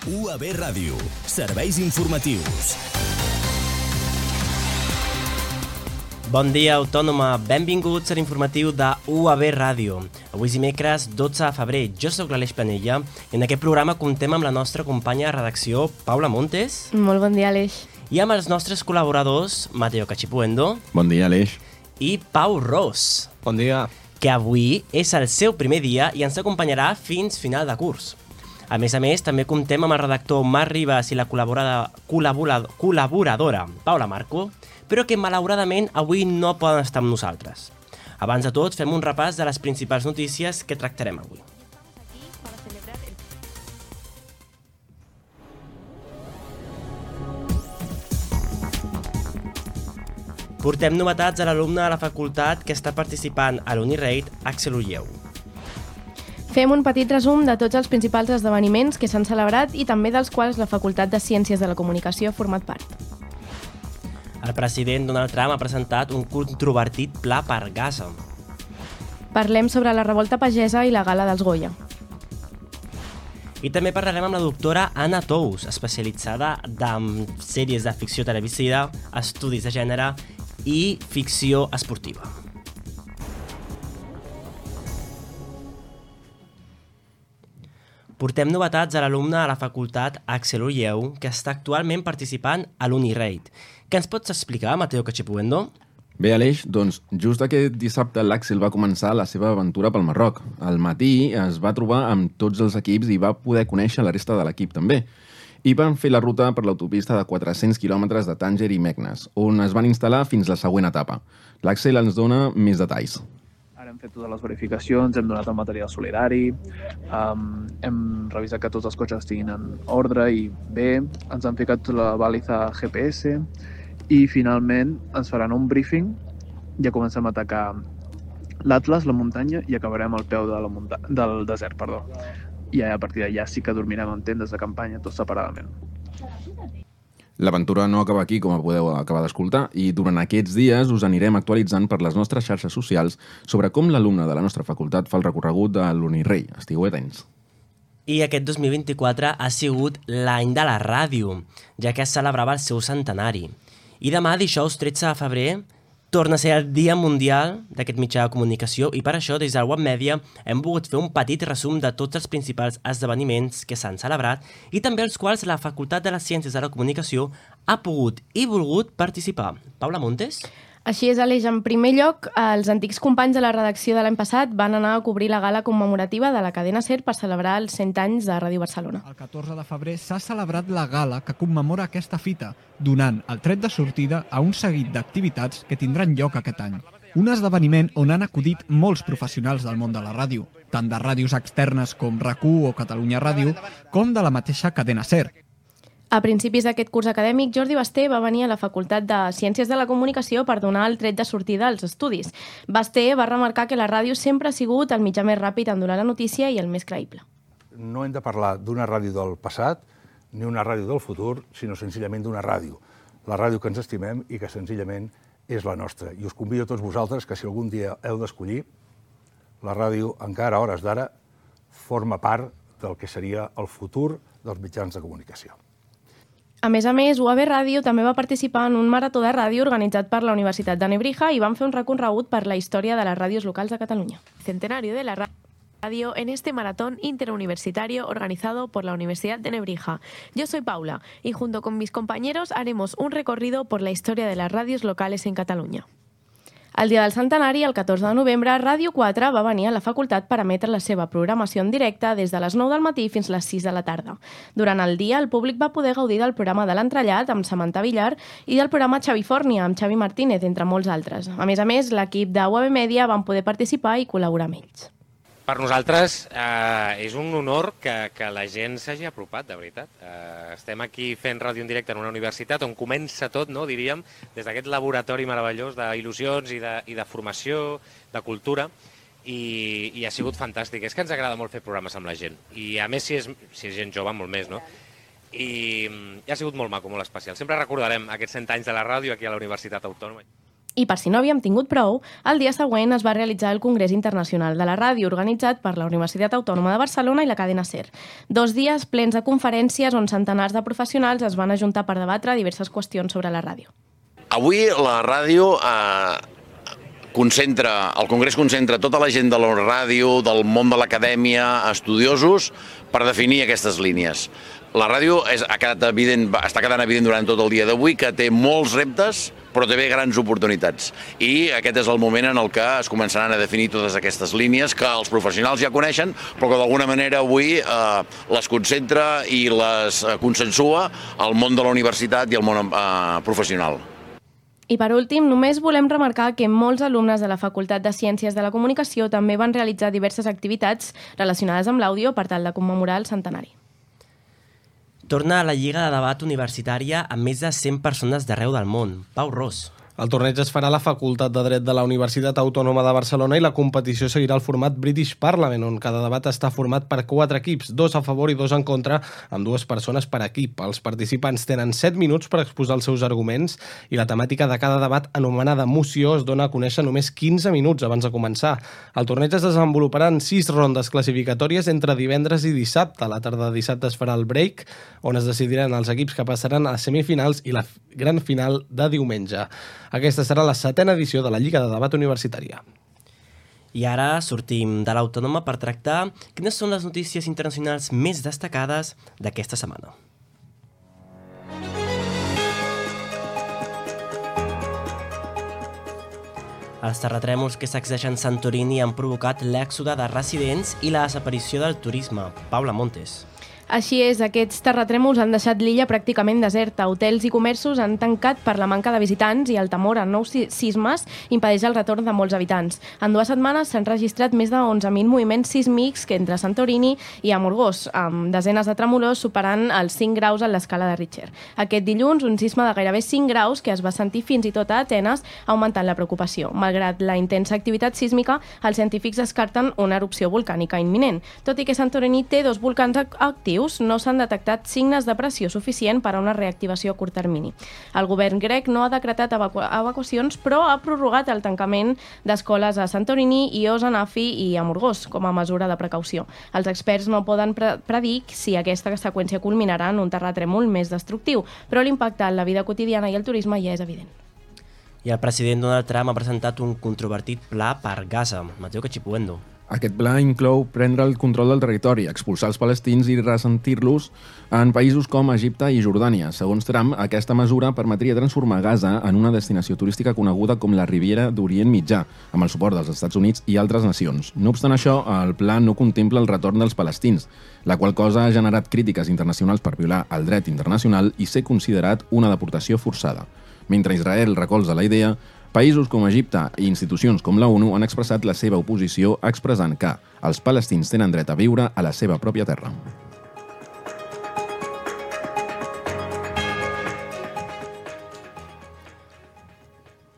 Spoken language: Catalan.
UAB Ràdio. Serveis informatius. Bon dia, Autònoma. Benvinguts a l'informatiu de UAB Ràdio. Avui és dimecres 12 de febrer. Jo sóc l'Aleix Planella i en aquest programa comptem amb la nostra companya de redacció, Paula Montes. Molt bon dia, Aleix. I amb els nostres col·laboradors, Mateo Cachipuendo. Bon dia, Aleix. I Pau Ros. Bon dia. Que avui és el seu primer dia i ens acompanyarà fins final de curs. A més, també comptem amb el redactor Marc Ribas i la col·laboradora Paula Marco, però que malauradament avui no poden estar amb nosaltres. Abans de tot, fem un repàs de les principals notícies que tractarem avui. Portem novetats a l'alumne de la facultat que està participant a l'Unirate, Axel Ulleu. Fem un petit resum de tots els principals esdeveniments que s'han celebrat i també dels quals la Facultat de Ciències de la Comunicació ha format part. El president Donald Trump ha presentat un controvertit pla per Gaza. Parlem sobre la revolta pagesa i la gala dels Goya. I també parlarem amb la doctora Anna Tous, especialitzada en sèries de ficció televisiva, estudis de gènere i ficció esportiva. Portem novetats a l'alumne de la facultat Axel Ulleu, que està actualment participant a l'Unirate. Què ens pots explicar, Mateo Cachipuendo? Bé, Aleix, doncs just aquest dissabte l'Axel va començar la seva aventura pel Marroc. Al matí es va trobar amb tots els equips i va poder conèixer la resta de l'equip també. I van fer la ruta per l'autopista de 400 quilòmetres de Tànger i Meknes, on es van instal·lar fins la següent etapa. L'Axel ens dona més detalls. Ara hem fet totes les verificacions, hem donat el material solidari, hem revisat que tots els cotxes estiguin en ordre i bé, ens han ficat la baliza GPS i finalment ens faran un briefing, ja comencem a atacar l'Atlas, la muntanya, i acabarem al peu del desert. I a partir d'allà sí que dormirem en tendes de campanya, tots separadament. L'aventura no acaba aquí, com podeu acabar d'escoltar, i durant aquests dies us anirem actualitzant per les nostres xarxes socials sobre com l'alumne de la nostra facultat fa el recorregut de l'Unirei. Estigueu atents. I aquest 2024 ha sigut l'any de la ràdio, ja que es celebrava el seu centenari. I demà, dijous 13 de febrer, torna a ser el Dia Mundial d'aquest mitjà de comunicació i per això, des del Web Media, hem volgut fer un petit resum de tots els principals esdeveniments que s'han celebrat i també els quals la Facultat de les Ciències de la Comunicació ha pogut i volgut participar. Paula Montes? Així és, Aleix. En primer lloc, els antics companys de la redacció de l'any passat van anar a cobrir la gala commemorativa de la cadena SER per celebrar els 100 anys de Ràdio Barcelona. El 14 de febrer s'ha celebrat la gala que commemora aquesta fita, donant el tret de sortida a un seguit d'activitats que tindran lloc aquest any. Un esdeveniment on han acudit molts professionals del món de la ràdio, tant de ràdios externes com RAC1 o Catalunya Ràdio, com de la mateixa cadena SER. A principis d'aquest curs acadèmic, Jordi Basté va venir a la Facultat de Ciències de la Comunicació per donar el tret de sortida als estudis. Basté va remarcar que la ràdio sempre ha sigut el mitjà més ràpid en donar la notícia i el més creïble. No hem de parlar d'una ràdio del passat ni una ràdio del futur, sinó senzillament d'una ràdio. La ràdio que ens estimem i que senzillament és la nostra. I us convido a tots vosaltres que si algun dia heu d'escollir, la ràdio, encara a hores d'ara, forma part del que seria el futur dels mitjans de comunicació. A més, UAB Ràdio també va participar en un marató de ràdio organitzat per la Universitat de Nebrija i van fer un recorregut per la història de les ràdios locals de Catalunya. Centenario de la radio en este maratón interuniversitario organizado por la Universidad de Nebrija. Yo soy Paula y junto con mis compañeros haremos un recorrido por la historia de las radios locales en Catalunya. El dia del centenari, el 14 de novembre, Ràdio 4 va venir a la facultat per emetre la seva programació en directe des de les 9 del matí fins les 6 de la tarda. Durant el dia, el públic va poder gaudir del programa de l'Entrellat amb Samantha Villar i del programa Xavifòrnia amb Xavi Martínez, entre molts altres. A més, l'equip de UAB Media van poder participar i col·laborar amb ells. Per nosaltres és un honor que la gent s'hagi apropat, de veritat. Estem aquí fent ràdio en directe en una universitat on comença tot, no, diríem, des d'aquest laboratori meravellós d'il·lusions i de formació, de cultura, i ha sigut fantàstic. És que ens agrada molt fer programes amb la gent. I a més, si és gent jove, molt més, no? I ha sigut molt maco, molt especial. Sempre recordarem aquests 100 anys de la ràdio aquí a la Universitat Autònoma. I per si no havíem tingut prou, el dia següent es va realitzar el Congrés Internacional de la Ràdio, organitzat per la Universitat Autònoma de Barcelona i la cadena SER. 2 dies plens de conferències on centenars de professionals es van ajuntar per debatre diverses qüestions sobre la ràdio. Avui la ràdio el Congrés concentra tota la gent de la ràdio, del món de l'acadèmia, estudiosos, per definir aquestes línies. La ràdio està quedant evident durant tot el dia d'avui que té molts reptes, però també grans oportunitats. I aquest és el moment en el que es començaran a definir totes aquestes línies que els professionals ja coneixen, però que d'alguna manera avui les concentra i les consensua el món de la universitat i el món professional. I per últim, només volem remarcar que molts alumnes de la Facultat de Ciències de la Comunicació també van realitzar diverses activitats relacionades amb l'àudio per tal de commemorar el centenari. Torna a la Lliga de Debat Universitària amb més de 100 persones d'arreu del món. Pau Ros. El torneig es farà a la Facultat de Dret de la Universitat Autònoma de Barcelona i la competició seguirà el format British Parliament, on cada debat està format per 4 equips, 2 a favor i 2 en contra, amb 2 persones per equip. Els participants tenen 7 minuts per exposar els seus arguments i la temàtica de cada debat, anomenada moció, es dona a conèixer només 15 minuts abans de començar. El torneig es desenvoluparà en 6 rondes classificatòries entre divendres i dissabte. A la tarda de dissabte es farà el break, on es decidiran els equips que passaran a semifinals i la gran final de diumenge. Aquesta serà la 7ª edició de la Lliga de Debat Universitària. I ara sortim de l'Autònoma per tractar quines són les notícies internacionals més destacades d'aquesta setmana. Els terratrèmols que sacsegen Santorini han provocat l'èxode de residents i la desaparició del turisme. Paula Montes. Així és, aquests terratrèmols han deixat l'illa pràcticament deserta. Hotels i comerços han tancat per la manca de visitants i el temor a nous sismes impedeix el retorn de molts habitants. En 2 setmanes s'han registrat més de 11.000 moviments sísmics entre Santorini i Amorgós, amb desenes de tremolors superant els 5 graus en l'escala de Richter. Aquest dilluns, un sisme de gairebé 5 graus que es va sentir fins i tot a Atenes ha augmentat la preocupació. Malgrat la intensa activitat sísmica, els científics descarten una erupció volcànica imminent. Tot i que Santorini té 2 volcans actius, no s'han detectat signes de pressió suficient per a una reactivació a curt termini. El govern grec no ha decretat evacuacions, però ha prorrogat el tancament d'escoles a Santorini, Ios, Anafi i Amorgós com a mesura de precaució. Els experts no poden predir si aquesta seqüència culminarà en un terratrèmol més destructiu, però l'impacte en la vida quotidiana i el turisme ja és evident. I el president Donald Trump ha presentat un controvertit pla per Gaza. Mateo Cachipuendo. Aquest pla inclou prendre el control del territori, expulsar els palestins i ressentir-los en països com Egipte i Jordània. Segons Trump, aquesta mesura permetria transformar Gaza en una destinació turística coneguda com la Riviera d'Orient Mitjà, amb el suport dels Estats Units i altres nacions. No obstant això, el pla no contempla el retorn dels palestins, la qual cosa ha generat crítiques internacionals per violar el dret internacional i ser considerat una deportació forçada. Mentre Israel recolza la idea, països com Egipte i institucions com la ONU han expressat la seva oposició expressant que els palestins tenen dret a viure a la seva pròpia terra.